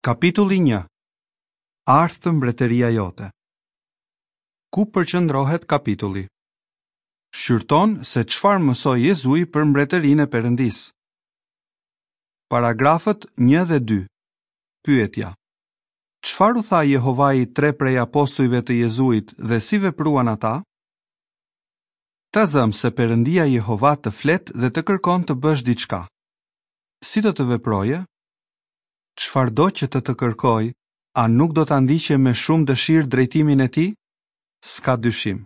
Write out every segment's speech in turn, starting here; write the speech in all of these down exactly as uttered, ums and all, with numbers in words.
Kapitulli një. Ardhtë mbretëria jote. Ku përqendrohet kapitulli? Shqyrton se çfarë mësoi Jezui për mbretërinë e Perëndisë. Paragrafët një dhe dy. Pyetja: Çfarë u tha Jehovai tre prej apostujve të Jezuit dhe si vepruan ata? Ta zëmë se Perëndia Jehova të flet dhe të kërkon të bësh diçka. Si do të veproje? Çfarëdo që të të kërkojë, a nuk do ta ndiqje me shumë dëshirë drejtimin e tij? S'ka dyshim.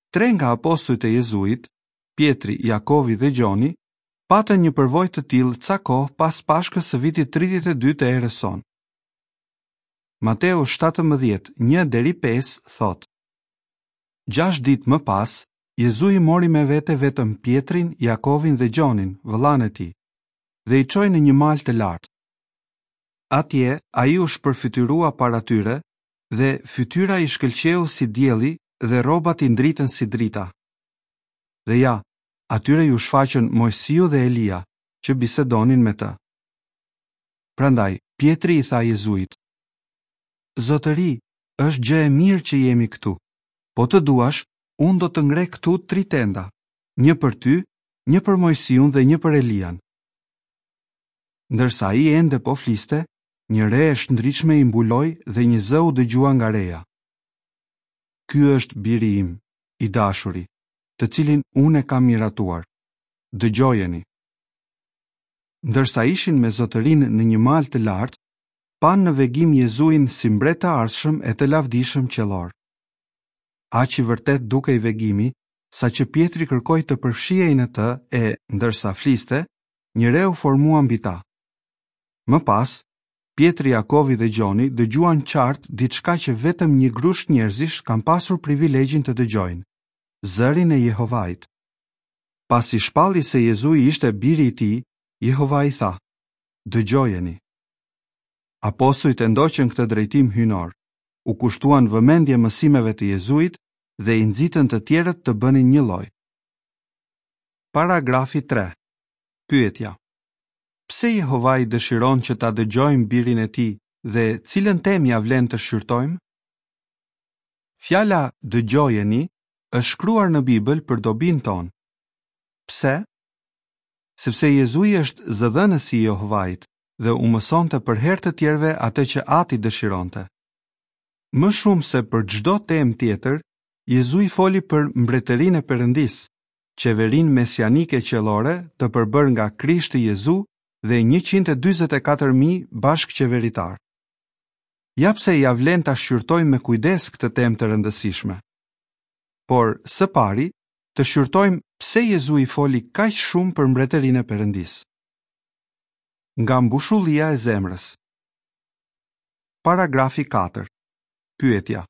Tre nga apostujt e Jezuit, Pjetri, Jakovi dhe Gjoni, patën një përvojë të tillë ca kohë pas Pashkës së vitit tridhjetë e dy të erës sonë. Mateu shtatëmbëdhjetë, një deri pesë thotë: Gjashtë ditë më pas, Jezui mori me vete vetëm Pjetrin, Jakovin dhe Gjonin, vëllanë e tij, dhe i çoi në një mal të lartë. Atje ai u shpërfytyrua para tyre dhe fytyra i shkëlqeu si dielli dhe rrobat i ndritën si drita. Dhe ja, atyre iu shfaqën Mojsiu dhe Elia, që bisedonin me të. Prandaj Pjetri i tha Jezuit: Zotëri, është gjë e mirë që jemi këtu. Po të duash, unë do të ngre këtu tri tenda, një për ty, një për Mojsiun dhe një për Elian. Ndërsa ai ende po fliste, një re e shndritshme i mbuloi dhe një zë u dëgjua nga reja. Ky është biri im, i dashuri, të cilin unë e kam miratuar. Dëgjojeni. Ndërsa ishin me zotërinë në një mal të lartë, panë në vegim Jezuin si mbret të ardhshëm e të lavdishëm qiellor. Aq i vërtet dukej vegimi, saqë Pjetri kërkoi të përfshihej në të e, ndërsa fliste, një re u formua mbi ta. Më pas, Pjetri, Jakovi dhe Gjoni dëgjuan qartë diçka që vetëm një grusht njerëzish kanë pasur privilegjin të dëgjojnë, zërin e Jehovait. Pasi shpalli se Jezui ishte biri i tij, Jehovai tha: Dëgjojeni. Apostujt e ndoqën këtë drejtim hyjnor, u kushtuan vëmendje mësimeve të Jezuit dhe i nxitën të tjerët të bënin njëlloj. Paragrafi tre. Pyetja: Pse Jehovai dëshiron që ta dëgjojmë birin e tij dhe cilën temë ia vlen të shqyrtojmë? Fjala dëgjojeni është shkruar në Bibël për dobinë tonë. Pse? Sepse Jezui është zëdhënësi i Jehovait dhe u mësonte për herë të tjerëve atë që Ati dëshironte. Më shumë se për çdo temë tjetër, Jezui foli për mbretërinë e Perëndisë, qeverinë mesianike qiellore të përbërë nga Krishti Jezu dhe njëqind e dyzet e katër mijë bashkëqeveritar. Ja pse ia vlen ta shqyrtojmë me kujdes këtë temë të rëndësishme. Por, së pari, të shqyrtojmë pse Jezui foli kaq shumë për mbretërinë e Perëndisë. Nga mbushullia e zemrës. Paragrafi katër. Pyetja: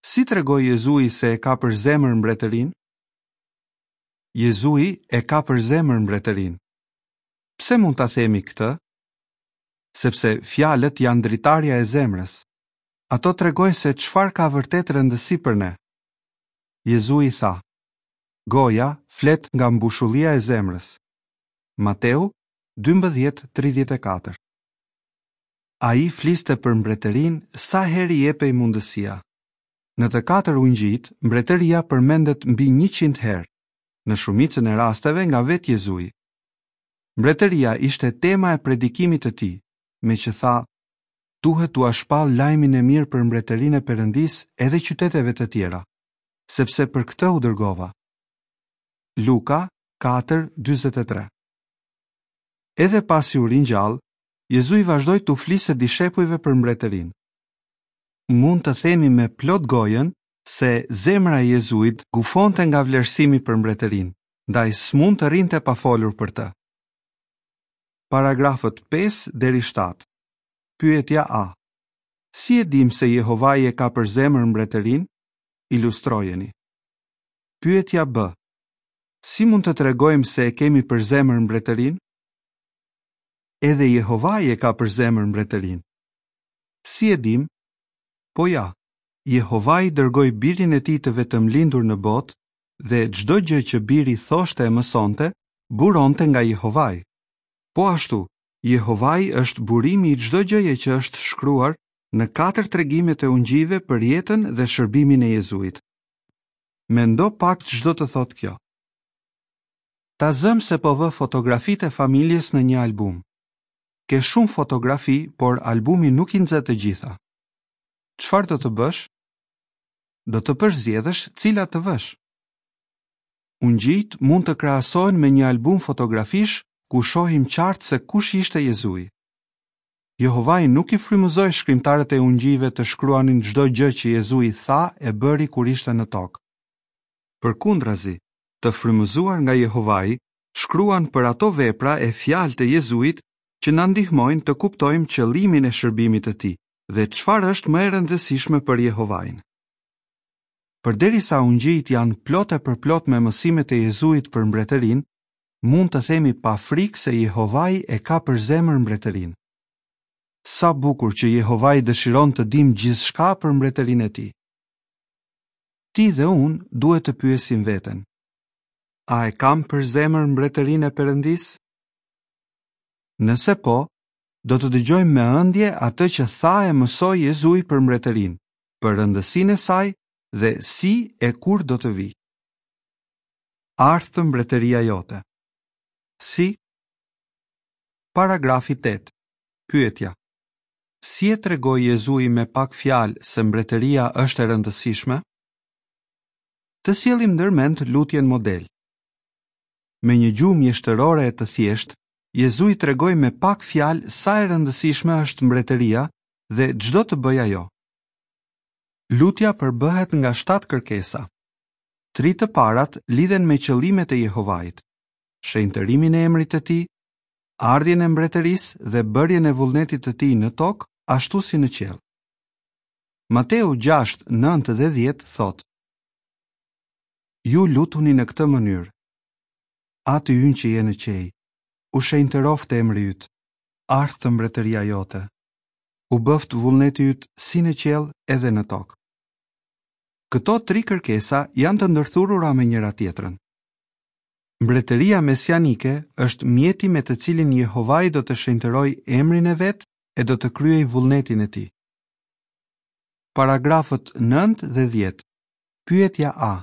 Si tregoi Jezui se e ka për zemër mbretërinë? Jezui e ka për zemër mbretërinë. Pse mund ta themi këtë? Sepse fjalët janë dritarja e zemrës. Ato tregojnë se çfarë ka vërtet rëndësi për ne. Jezui tha: Goja flet nga mbushullia e zemrës. Mateu dymbëdhjetë tridhjetë e katër. Ai fliste për mbretërinë sa herë i jepej mundësia. Në të katër ungjijt, mbretëria përmendet mbi njëqind herë, në shumicën e rasteve nga vetë Jezui. Mbretëria ishte tema e predikimit të tij, me që tha: Duhet t'ua shpall lajmin e mirë për mbretërinë e Perëndisë edhe qyteteve të tjera, sepse për këtë u dërgova. Luka katër dyzet e tre. Edhe pasi u ringjall, Jezui vazhdoi t'u fliste dishepujve për mbretërinë. Mund të themi me plot gojën se zemra e Jezuit gufonte nga vlerësimi për mbretërinë, ndaj s'mund të rrinte pa folur për të. Paragrafët pesë deri shtatë. Pyetja A. Si e dim se Jehovai e ka për zemër mbretërinë? Ilustrojeni. Pyetja B. Si mund të tregojmë se e kemi për zemër mbretërinë? Edhe Jehovai e ka për zemër mbretërinë. Si e dim? Po ja, Jehovai dërgoi birin e tij të vetëmlindur në botë dhe çdo gjë që biri thoshte e mësonte, buronte nga Jehovai. Po ashtu, Jehovai është burimi i çdo gjëje që është shkruar në katër tregimet e ungjijve për jetën dhe shërbimin e Jezuit. Mendo pak ç'do të thotë kjo. Ta zëmë se po vë fotografitë e familjes në një album. Ke shumë fotografi, por albumi nuk i nxë të gjitha. Çfarë do të bësh? Do të përzgjedhësh cilat të vësh. Ungjijtë mund të krahasohen me një album fotografish ku shohim qartë se kush ishte Jezui. Jehovai nuk i frymëzoi shkrimtarët e ungjijve të shkruanin çdo gjë që Jezui tha e bëri kur ishte në tokë. Përkundrazi, të frymëzuar nga Jehovai, shkruan për ato vepra e fjalë të Jezuit që na ndihmojnë të kuptojmë qëllimin e shërbimit të tij dhe çfarë është më e rëndësishme për Jehovain. Përderisa ungjijtë janë plot e përplot me mësimet e Jezuit për mbretërinë, mund të themi pa frikë se Jehovai e ka për zemër mbretërinë. Sa bukur që Jehovai dëshiron të dimë gjithçka për mbretërinë e tij. Ti dhe unë duhet të pyesim veten. A e kam për zemër mbretërinë e Perëndisë? Nëse po, do të dëgjojmë me ëndje atë që tha e mësoi Jezui për mbretërinë, për rëndësinë e saj dhe si e kur do të vijë. Ardhtë mbretëria jote. Si? Paragrafi tetë. Pyetja. Si e tregoi Jezui me pak fjalë se mbretëria është e rëndësishme? Të sjellim ndërmend lutjen model. Me një gjuhë mjeshtërore e të thjeshtë, Jezui tregoi me pak fjalë sa e rëndësishme është mbretëria dhe ç'do të bëjë ajo. Lutja përbëhet nga shtatë kërkesa. Tri të parat lidhen me qëllimet e Jehovait, shenjtërimin e emrit të tij, ardhjen e mbretërisë dhe bërjen e vullnetit të tij në tokë, ashtu si në qiell. Mateu gjashtë, nëntë dhe dhjetë thotë: Ju lutuni në këtë mënyrë. Ati ynë që je në qiej, u shenjtëroftë emri yt, ardhtë mbretëria jote. U bëft vullneti yt si në qiell edhe në tokë. Këto tri kërkesa janë të ndërthurura me njëra tjetrën. Mbretëria mesianike është mjeti me të cilin Jehovai do të shenjtërojë emrin e vet e do të kryejë vullnetin e tij. Paragrafët nëntë dhe dhjetë. Pyetja A.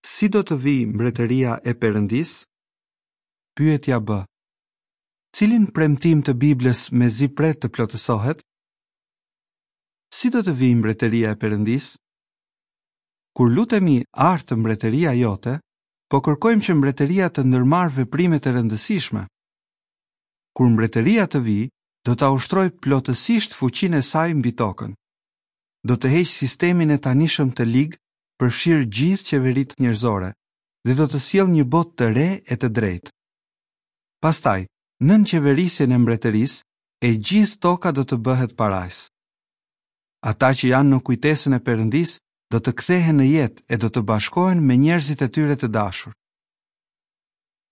Si do të vijë mbretëria e Perëndisë? Pyetja B. Cilin premtim të Biblës mezi pret të plotësohet? Si do të vijë mbretëria e Perëndisë? Kur lutemi ardhtë mbretëria jote, po kërkojmë që mbretëria të ndërmarrë veprime të rëndësishme. Kur mbretëria të vijë, do ta ushtrojë plotësisht fuqinë e saj mbi tokën. Do të heqë sistemin e tanishëm të lig, përfshirë gjithë qeveritë njerëzore, dhe do të sjellë një botë të re e të drejtë. Pastaj, nën qeverisjen e mbretërisë, e gjithë toka do të bëhet parajsë. Ata që janë në kujtesën e Perëndisë do të kthehen në jetë e do të bashkohen me njerëzit e tyre të dashur.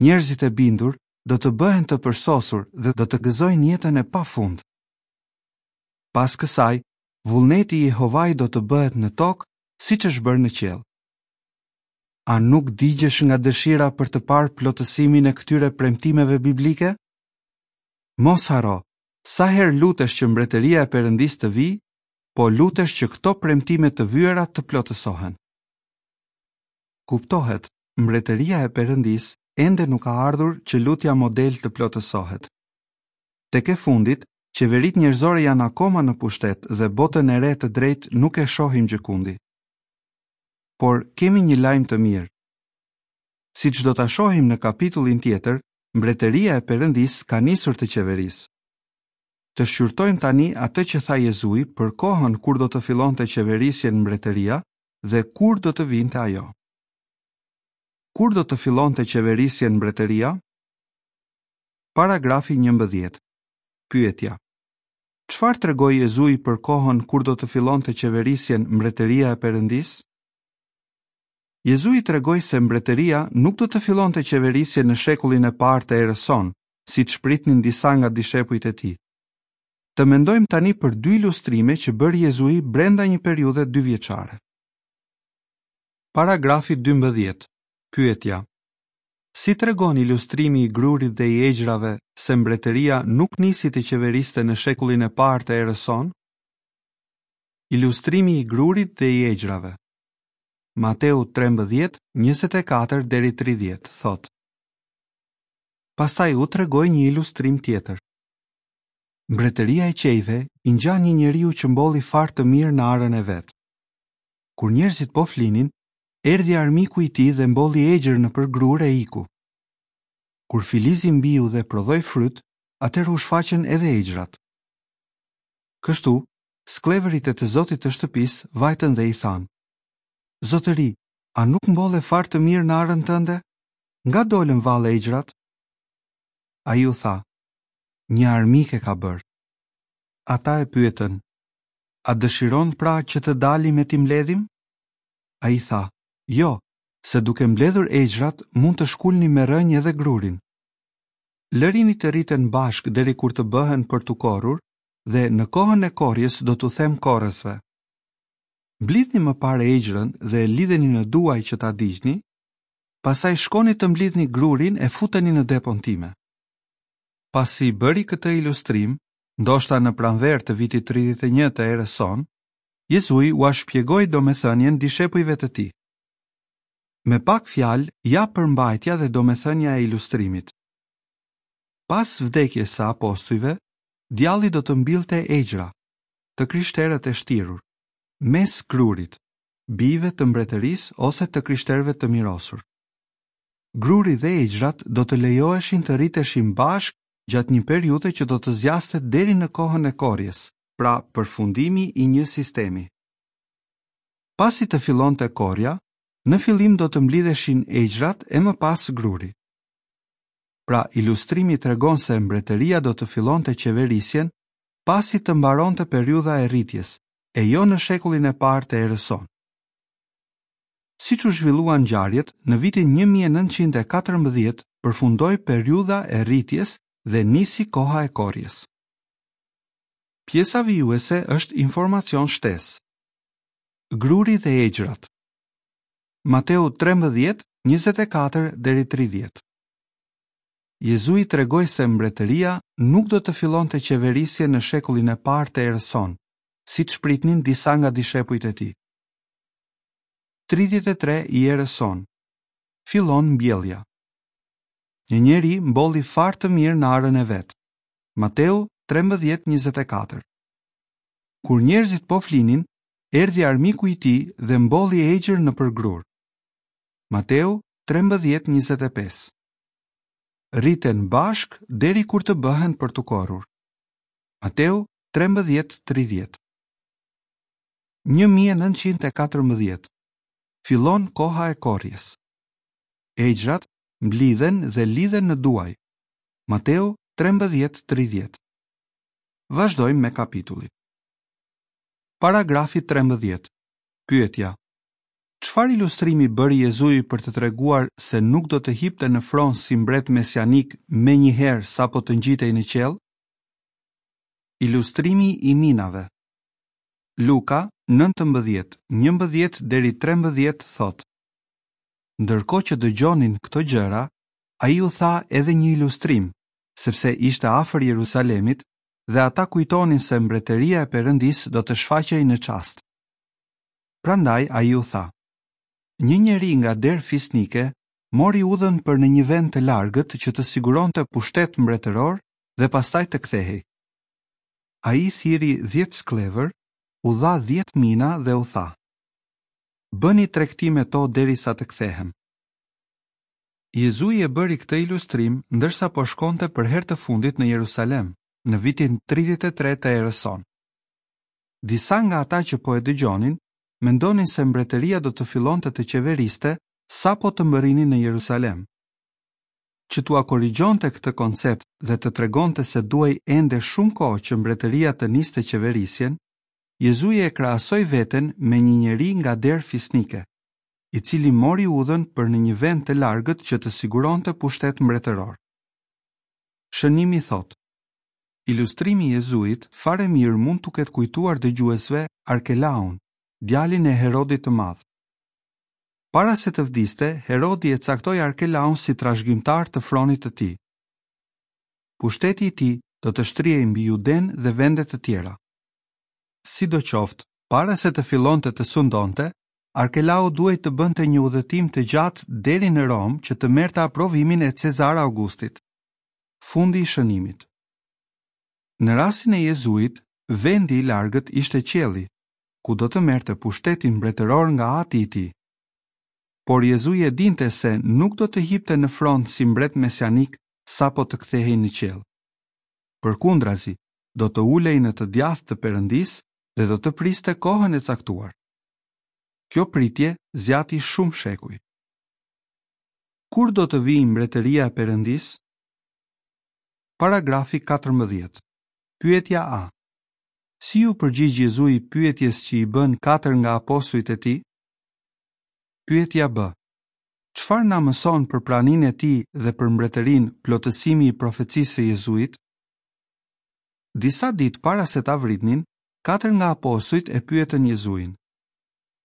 Njerëzit e bindur do të bëhen të përsosur dhe do të gëzojnë jetën e pafund. Pas kësaj, vullneti i Jehovait do të bëhet në tokë, siç është bërë në qiell. A nuk digjesh nga dëshira për të parë plotësimin e këtyre premtimeve biblike? Mos harro, sa herë lutesh që mbretëria e Perëndisë të vijë, po lutesh që këto premtime të vyera të plotësohen. Kuptohet, mbretëria e Perëndisë ende nuk ka ardhur që lutja model të plotësohet. Tek e fundit, qeveritë njerëzore janë akoma në pushtet dhe botën e re të drejtë nuk e shohim gjëkundi. Por kemi një lajm të mirë. Siç do ta shohim në kapitullin tjetër, mbretëria e Perëndisë ka nisur të qeverisë. Të shqyrtojmë tani atë që tha Jezui për kohën kur do të fillonte qeverisjen mbretëria dhe kur do të vinte ajo. Kur do të fillonte qeverisjen mbretëria? Paragrafi njëmbëdhjetë. Pyetja. Çfarë tregoi Jezui për kohën kur do të fillonte qeverisjen mbretëria e Perëndisë? Jezui tregoi se mbretëria nuk do të fillonte qeverisjen në shekullin e parë të erës sonë, siç pritnin disa nga dishepujt e tij. Të mendojmë tani për dy ilustrime që bëri Jezui brenda një periudhe dyvjeçare. Paragrafi dymbëdhjetë. Pyetja. Si tregon ilustrimi i grurit dhe i egjrave se mbretëria nuk nisi të qeveriste në shekullin e parë të erës sonë? Ilustrimi i grurit dhe i egjrave. Mateu trembëdhjetë, njëzet e katër deri tridhjetë thotë. Pastaj u tregoi një ilustrim tjetër. Mbretëria e qiejve i ngjan një njeriu që mbolli farë të mirë në arën e vet. Kur njerëzit po flinin, erdhi armiku i tij dhe mbolli egjër nëpër grurë e iku. Kur filizi mbiu dhe prodhoi fryt, atëherë u shfaqën edhe egjrat. Kështu, skllevërit e të zotit të shtëpisë vajtën dhe i thanë: Zotëri, a nuk mbolle farë të mirë në arën tënde? Nga dolën vallë egjrat? Ai u tha: Një armik e ka bërë. Ata e pyetën: A dëshiron pra që të dalim e t'i mbledhim? Ai tha: Jo, se duke mbledhur egjrat mund të shkulni me rrënjë edhe grurin. Lërini të rriten bashkë deri kur të bëhen për t'u korrur, dhe në kohën e korrjes do t'u them korrësve: Mblidhni më parë egjrën dhe lidheni në duaj që ta digjni, pastaj shkoni të mblidhni grurin e futeni në depon time. Pasi bëri këtë ilustrim, ndoshta në pranverë të vitit tridhjetë e një të erës sonë, Jezui ua shpjegoi domethënien dishepujve të tij. Me pak fjalë, ja përmbajtja dhe domethënia e ilustrimit. Pas vdekjes së apostujve, djalli do të mbillte egjra, të krishterët e shtirur, mes grurit, bijve të mbretërisë ose të krishterëve të mirosur. Gruri dhe egjrat do të lejoheshin të rriteshin bashkë gjatë një periudhe që do të zgjaste deri në kohën e korrjes, pra përfundimi i një sistemi. Pasi të fillonte korrja, në fillim do të mblidheshin egjrat e më pas gruri. Pra, ilustrimi tregon se mbretëria do të fillonte qeverisjen pasi të mbaronte periudha e rritjes, e jo në shekullin e parë të erës sonë. Siç u zhvilluan ngjarjet, në vitin një mijë e nëntëqind e katërmbëdhjetë përfundoi periudha e rritjes dhe nisi koha e korrjes. Pjesa vijuese është informacion shtesë. Gruri dhe egjrat. Mateu trembëdhjetë, njëzet e katër deri tridhjetë. Jezui tregoi se mbretëria nuk do të fillonte qeverisjen në shekullin e parë të erës sonë, siç pritnin disa nga dishepujt e tij. Tridhjetë e tre i erës sonë. Fillon mbjellja. Një njeri mbolli farë të mirë në arën e vet. Mateu trembëdhjetë njëzet e katër. Kur njerëzit po flinin, erdhi armiku i tij dhe mbolli egjër nëpër grur. Mateu trembëdhjetë njëzet e pesë. Rriten bashk deri kur të bëhen për t'u korrur. Mateu trembëdhjetë tridhjetë. Një mijë e nëntëqind e katërmbëdhjetë. Fillon koha e korrjes. Egjrat mblidhen dhe lidhen në duaj. Mateu trembëdhjetë tridhjetë. Vazhdojmë me kapitullin. Paragrafi trembëdhjetë. Pyetja: Çfarë ilustrimi bëri Jezui për të treguar se nuk do të hipte në fron si mbret mesianik menjëherë sapo të ngjitej në qiell? Ilustrimi i minave. Luka nëntëmbëdhjetë, njëmbëdhjetë deri trembëdhjetë thotë: Ndërkohë që dëgjonin këto gjëra, ai u tha edhe një ilustrim, sepse ishte afër Jerusalemit dhe ata kujtonin se mbretëria e Perëndisë do të shfaqej në çast. Prandaj ai u tha: Një njeri nga derë fisnike mori udhën për në një vend të largët që të siguronte pushtet mbretëror dhe pastaj të kthehej. Ai thirri dhjetë skllevër, u dha dhjetë mina dhe u tha: Bëni tregti me to derisa të kthehem. Jezui e bëri këtë ilustrim ndërsa po shkonte për herë të fundit në Jerusalem, në vitin tridhjetë e tre të erës sonë. Disa nga ata që po e dëgjonin mendonin se mbretëria do të fillonte të qeveriste sapo të mbërrinin në Jerusalem. Që t'ua korrigjonte këtë koncept dhe të tregonte se duhej ende shumë kohë që mbretëria të niste qeverisjen, Jezui e krahasoi veten me një njeri nga derë fisnike, i cili mori udhën për në një vend të largët që të siguronte pushtet mbretëror. Shënimi thotë: Ilustrimi i Jezuit fare mirë mund t'u ketë kujtuar dëgjuesve Arkelaun, djalin e Herodit të Madh. Para se të vdiste, Herodi e caktoi Arkelaun si trashëgimtar të fronit të tij. Pushteti i tij do të shtrihej mbi Judenë dhe vende të tjera. Sidoqoftë, para se të fillonte të sundonte, Arkelau duhej të bënte një udhëtim të gjatë deri në Romë që të merrte aprovimin e Cezar Augustit. Fundi i shënimit. Në rastin e Jezuit, vendi i largët ishte qielli, ku do të merrte pushtetin mbretëror nga ati i tij. Por Jezui e dinte se nuk do të hipte në fron si mbret mesianik sapo të kthehej në qiell. Përkundrazi, do të ulej në të djathtë të Perëndisë dhe do të priste kohën e caktuar. Kjo pritje zgjati shumë shekuj. Kur do të vijë mbretëria e Perëndisë? Paragrafi katërmbëdhjetë. Pyetja A. Si iu përgjigj Jezui pyetjes që i bënë katër nga apostujt e tij? Pyetja B. Çfarë na mëson për praninë e tij dhe për mbretërinë plotësimi i profecisë së Jezuit? Disa ditë para se ta vritnin, katër nga apostujt e pyetën Jezuin: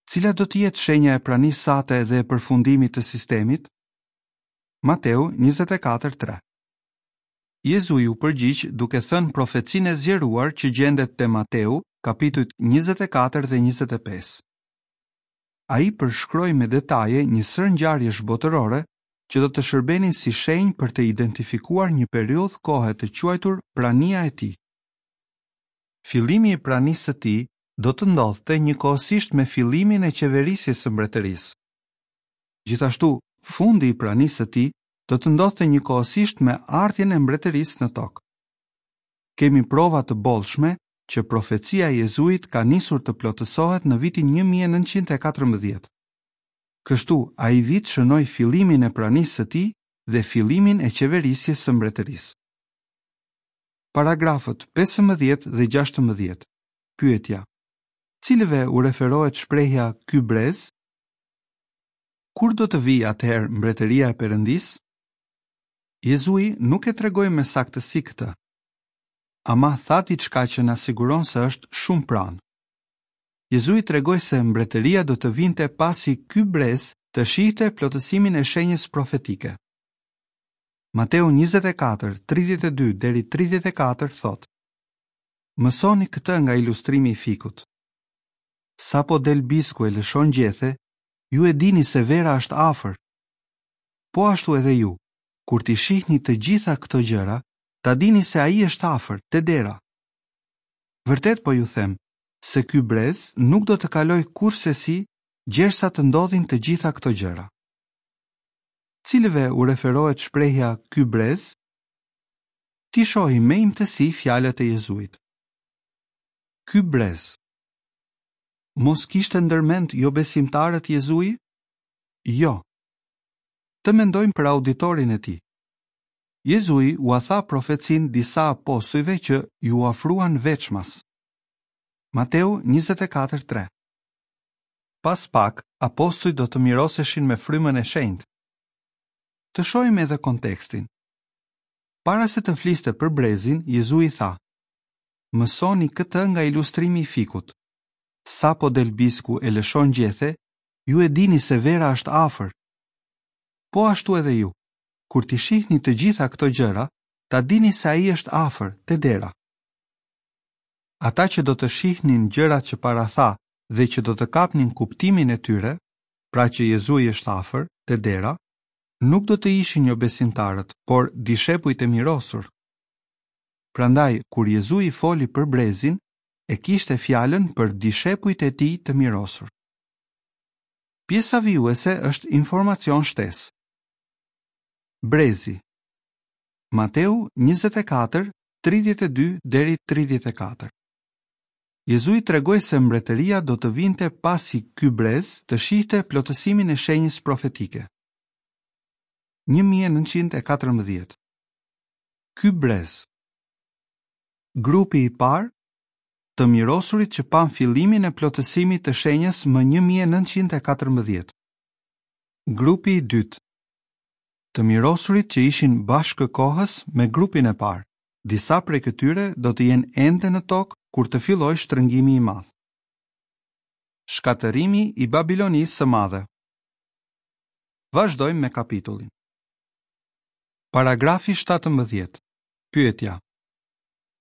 Cila do të jetë shenja e pranisë sate dhe e përfundimit të sistemit? Mateu njëzet e katër tre. Jezui u përgjigj duke thënë profecinë e zgjeruar që gjendet te Mateu, kapitujt njëzet e katër dhe njëzet e pesë. Ai përshkroi me detaje një sërë ngjarjesh botërore që do të shërbenin si shenjë për të identifikuar një periudhë kohe të quajtur prania e tij. Fillimi i pranisë së tij do të ndodhte njëkohësisht me fillimin e qeverisjes së mbretërisë. Gjithashtu, fundi i pranisë së tij do të ndodhte njëkohësisht me ardhjen e mbretërisë në tokë. Kemi prova të bollshme që profecia e Jezuit ka nisur të plotësohet në vitin një mijë e nëntëqind e katërmbëdhjetë. Kështu, ai vit shënoi fillimin e pranisë së tij dhe fillimin e qeverisjes së mbretërisë. Paragrafët pesëmbëdhjetë dhe gjashtëmbëdhjetë. Pyetja: Cilëve u referohet shprehja ky brez? Kur do të vijë atëherë mbretëria e Perëndisë? Jezui nuk e tregoi me saktësi këtë. Ama tha diçka që na siguron se është shumë pranë. Jezui tregoi se mbretëria do të vinte pasi ky brez të shihte plotësimin e shenjës profetike. Mateu njëzet e katër, tridhjetë e dy deri tridhjetë e katër thotë: Mësoni këtë nga ilustrimi i fikut. Sapo del bisku e lëshon gjethe, ju e dini se vera është afër. Po ashtu edhe ju, kur t'i shihni të gjitha këto gjëra, ta dini se ai është afër, te dera. Vërtet po ju them, se ky brez nuk do të kalojë kurrsesi gjersa të ndodhin të gjitha këto gjëra. Cilëve u referohet shprehja ky brez? Ti shohim me imtësi fjalët e Jezuit. Ky brez. Mos kishte ndërmend jo besimtarët Jezui? Jo. Të mendojmë për auditorin e tij. Jezui ua tha profecinë disa apostujve që ju afruan veçmas. Mateu njëzet e katër tre. Pas pak, apostujt do të miroseshin me frymën e shenjtë. Të shohim edhe kontekstin. Para se të fliste për brezin, Jezui tha: Mësoni këtë nga ilustrimi i fikut. Sapo del bisku e lëshon gjethe, ju e dini se vera është afër. Po ashtu edhe ju, kur t'i shihni të gjitha këto gjëra, ta dini se ai është afër, te dera. Ata që do të shihnin gjërat që paratha dhe që do të kapnin kuptimin e tyre, pra që Jezui është afër, te dera, nuk do të ishin jo besimtarët, por dishepujt e mirosur. Prandaj, kur Jezui foli për brezin, e kishte fjalën për dishepujt e tij të mirosur. Pjesa vijuese është informacion shtesë. Brezi. Mateu njëzet e katër, tridhjetë e dy deri tridhjetë e katër. Jezui tregoi se mbretëria do të vinte pasi ky brez të shihte plotësimin e shenjës profetike. Një mijë e nëntëqind e katërmbëdhjetë. Ky brez. Grupi i parë, të mirosurit që pan fillimin e plotësimit të shenjës më një mijë e nëntëqind e katërmbëdhjetë. Grupi i dytë, të mirosurit që ishin bashkëkohës me grupin e parë. Disa prej këtyre do të jenë ende në tokë kur të fillojë shtrëngimi i madh. Shkatërrimi i Babilonisë së Madhe. Vazhdojmë me kapitullin. Paragrafi shtatëmbëdhjetë. Pyetja: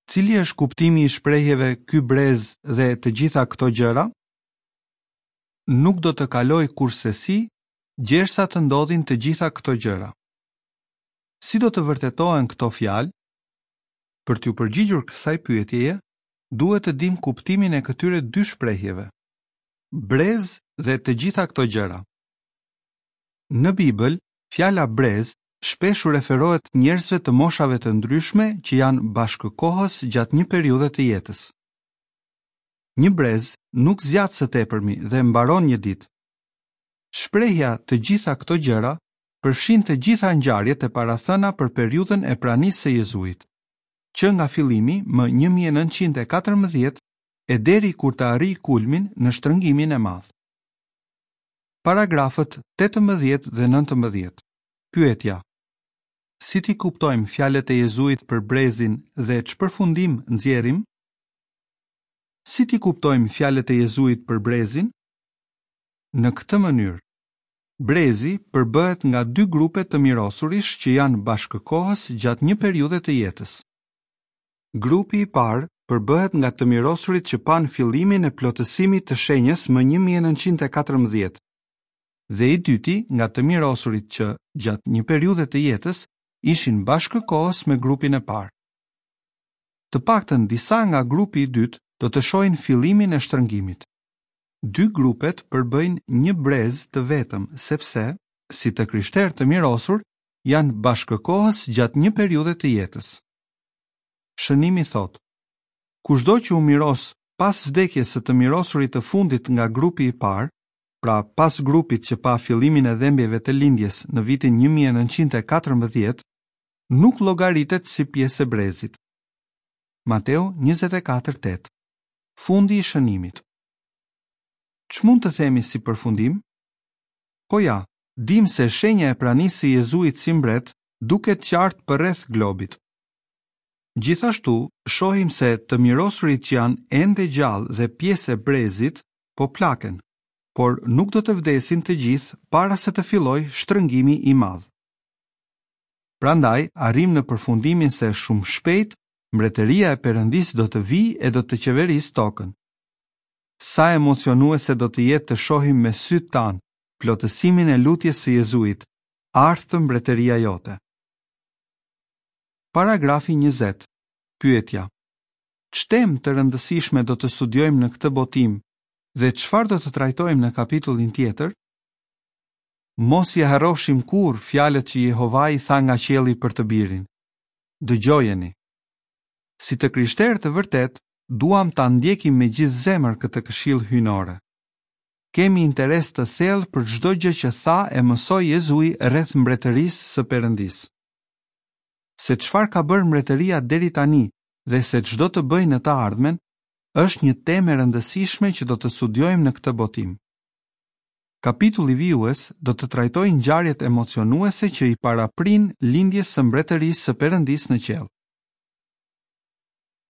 Cili është kuptimi i shprehjeve ky brez dhe të gjitha këto gjëra? Nuk do të kalojë kurrsesi gjersa të ndodhin të gjitha këto gjëra. Si do të vërtetohen këto fjalë? Për t'iu përgjigjur kësaj pyetjeje, duhet të dimë kuptimin e këtyre dy shprehjeve. Brez dhe të gjitha këto gjëra. Në Bibël, fjala brez shpesh u referohet njerëzve të moshave të ndryshme që janë bashkëkohës gjatë një periudhe të jetës. Një brez nuk zgjat së tepërmi dhe mbaron një ditë. Shprehja të gjitha këto gjëra përfshin të gjitha ngjarjet e parathëna për periudhën e pranisë së Jezuit, që nga fillimi më një mijë e nëntëqind e katërmbëdhjetë e deri kur të arrijë kulmin në shtrëngimin e madh. Paragrafët tetëmbëdhjetë dhe nëntëmbëdhjetë. Pyetja: Si t'i kuptojmë fjalët e Jezuit për brezin dhe ç'përfundim nxjerrim? Si t'i kuptojmë fjalët e Jezuit për brezin? Në këtë mënyrë, brezi përbëhet nga dy grupe të mirosurish që janë bashkëkohës gjatë një periudhe të jetës. Grupi i parë përbëhet nga të mirosurit që panë fillimin e plotësimit të shenjës më një mijë e nëntëqind e katërmbëdhjetë, dhe i dyti nga të mirosurit që, gjatë një periudhe të jetës, ishin bashkëkohës me grupin e parë. Të paktën disa nga grupi i dytë do të shohin fillimin e shtrëngimit. Dy grupet përbëjnë një brez të vetëm, sepse, si të krishterë të mirosur, janë bashkëkohës gjatë një periudhe të jetës. Shënimi thotë: Kushdo që u miros pas vdekjes së të mirosurit të fundit nga grupi i parë, pra pas grupit që pa fillimin e dhembjeve të lindjes në vitin një mijë e nëntëqind e katërmbëdhjetë, nuk llogaritet si pjesë e brezit. Mateu njëzet e katër tetë. Fundi i shënimit. Ç'mund të themi si përfundim? Po ja, dim se shenja e pranisë së Jezuit si mbret duket qartë përreth globit. Gjithashtu, shohim se të mirosurit që janë ende gjallë dhe pjesë e brezit po plaken, por nuk do të vdesin të gjithë para se të fillojë shtrëngimi i madh. Prandaj, arrim në përfundimin se shumë shpejt mbretëria e Perëndisë do të vijë e do të qeverisë tokën. Sa emocionuese do të jetë të shohim me sytë tanë plotësimin e lutjes së Jezuit, ardhtë mbretëria jote. Paragrafi njëzet. Pyetja: Ç'temë të rëndësishme do të studiojmë në këtë botim dhe çfarë do të trajtojmë në kapitullin tjetër? Mos i harrofshim kurrë fjalët që Jehovai tha nga qielli për të birin. Dëgjojeni. Si të krishterë të vërtetë, duam ta ndjekim me gjithë zemër këtë këshillë hyjnore. Kemi interes të thellë për çdo gjë që tha e mësoi Jezui rreth mbretërisë së Perëndisë. Se çfarë ka bërë mbretëria deri tani dhe se ç'do të bëjë në të ardhmen, është një temë e rëndësishme që do të studiojmë në këtë botim. Kapitulli vijues do të trajtojë ngjarjet emocionuese që i paraprin lindjes së mbretërisë së Perëndisë në qiell.